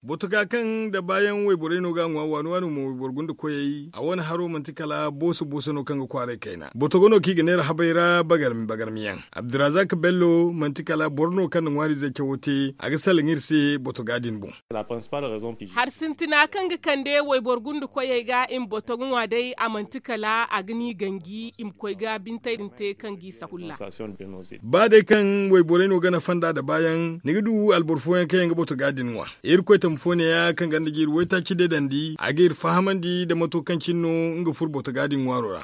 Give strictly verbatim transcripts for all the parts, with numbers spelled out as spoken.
Botoga kaŋ da baayaŋ wayborey no ga a ŋwa waani waani mo wayboro gunda koyey a wane haro manti kala booso booso no kaŋ ga kwaaray kayna botogo no kaŋ i ga neera habay ra bagarmi bagarmi yaŋ. Abdurazak bello manti kala boro no kaŋ na ŋwaariizey cawo te a ga salaŋ iri se botoga din boŋ. Hari sintina kaŋ ga kande wayboro gunda koyey ga i ma botoga ŋwa day a manti kala a ga ni ganji i ma koy ga bintey din te kaŋ g'i sakulla. Ba day kaŋ wayborey no ga nafa nd'a da baayaŋ ni ga du alboro fooyaŋ kaŋ yaŋ ga botoga din ŋwa. Irkoy tamfo neeya kaŋ ganda ga iri waytaaci deedandi a ga iri fahamandi nda mato kaŋ cine no nga furo botoga din ŋwaaro ra.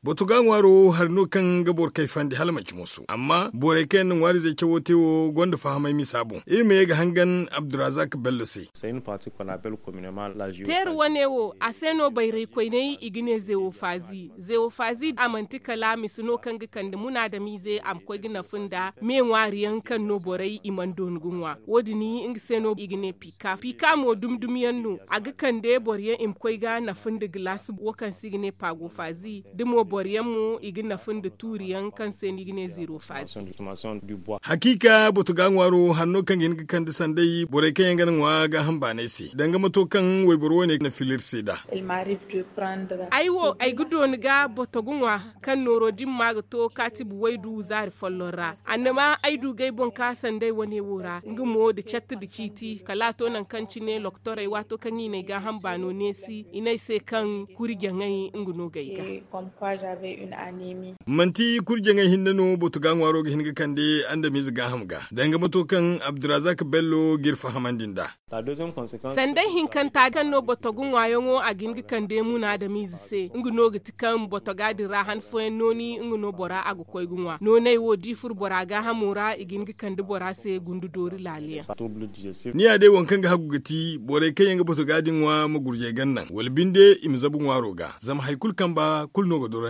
Botoga ŋwaaro hari no kaŋ ga boro kayfandi hala manci moso amma borey kaŋ yaŋ na ŋwaariizey cawo te wo gonda fahamay misa boŋ iri ma ye ga hangan abdurazak bello se. Teeri wane wo a se no bayray koyney i ga ne zewo faazi zewo faazi a manti kala mise no kaŋ ga kande munaadamiize a ma koy ga nafa nda me ŋwaari yaŋ kaŋ no borey i mana dooni ga ŋwa wo- din nga se no i ga ne pika pika mo dumi dumi yaŋ no a ga kande boro yaŋ i ma koy ga nafa nda gilaasi wo kaŋ se i ga ne paago faazi da mo boro yaŋ mo i ga nafa nda tuuri yaŋ kaŋ se no i ga ne zeero faazi. Hakiika botoga ŋwaaro hari no kaŋ ga hin ga kande sanday borey kaŋ yaŋ ga na ŋwa gaaham baanay se danga mato kaŋ wayboro wane na fila iri se nd'a. Ay wo ay ga dooni ga botoga ŋwa kaŋ nooro din ma ga to kaatibi waydu zaari folloŋ ra annama ay du ga ay boŋ ka sanday wane wo ra nga mo nda catta nda ciiti kala a to nangu kaŋ cine lokotorey waato kaŋ i na ay gaaham baano neesi i ne ay se kaŋ kuri jaŋay nga no ga ay ga. Manti kuri jaŋay hinne no botoga ŋwaaro ga hin ga kande andamiize gaaham ga danga mato kaŋ abdurazak bello ga iri fahamandi nd'a. Sanday hinkanta kaŋ no botoga ŋwaayaŋo a ga hin ga kande munaadamiize se nga no ga ti kaŋ botoga din ra han fooyaŋ nooni nga no bora a ga koy ga ŋwa nooney wo da i furo bora gaahamo ra i ga hin ga kande bora se gundu doori laaliyaŋ. Ni ya day waŋ kaŋ ga hagu ga ti borey kaŋ yaŋ ga botoga din ŋwa ma gurjey ganda wala binde i ma zabu ŋwaaro ga zama hari kulu kamba kulu no ga doro.